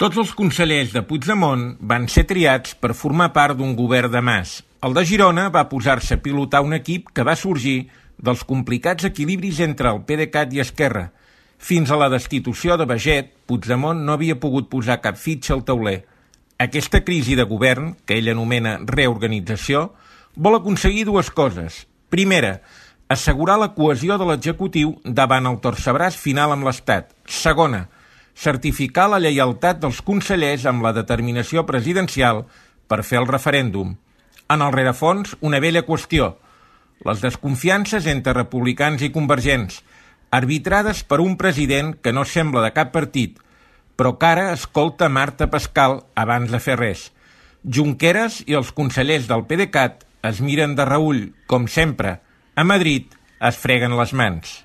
Tots els consellers de Puigdemont van ser triats per formar part d'un govern de Mas. El de Girona va posar-se a pilotar un equip que va sorgir dels complicats equilibris entre el PDeCAT i Esquerra. Fins a la destitució de Baiget, Puigdemont no havia pogut posar cap fitxa al tauler. Aquesta crisi de govern, que ell anomena reorganització, vol aconseguir dues coses. Primera, assegurar la cohesió de l'executiu davant el torcebràs final amb l'Estat. Segona, certificar la lleialtat dels consellers amb la determinació presidencial per fer el referèndum. En el rerefons, una vella qüestió: les desconfiances entre republicans i convergents, arbitrades per un president que no sembla de cap partit, però que ara escolta Marta Pascal abans de fer res. Junqueras i els consellers del PDeCAT es miren de reüll, com sempre. A Madrid es freguen les mans.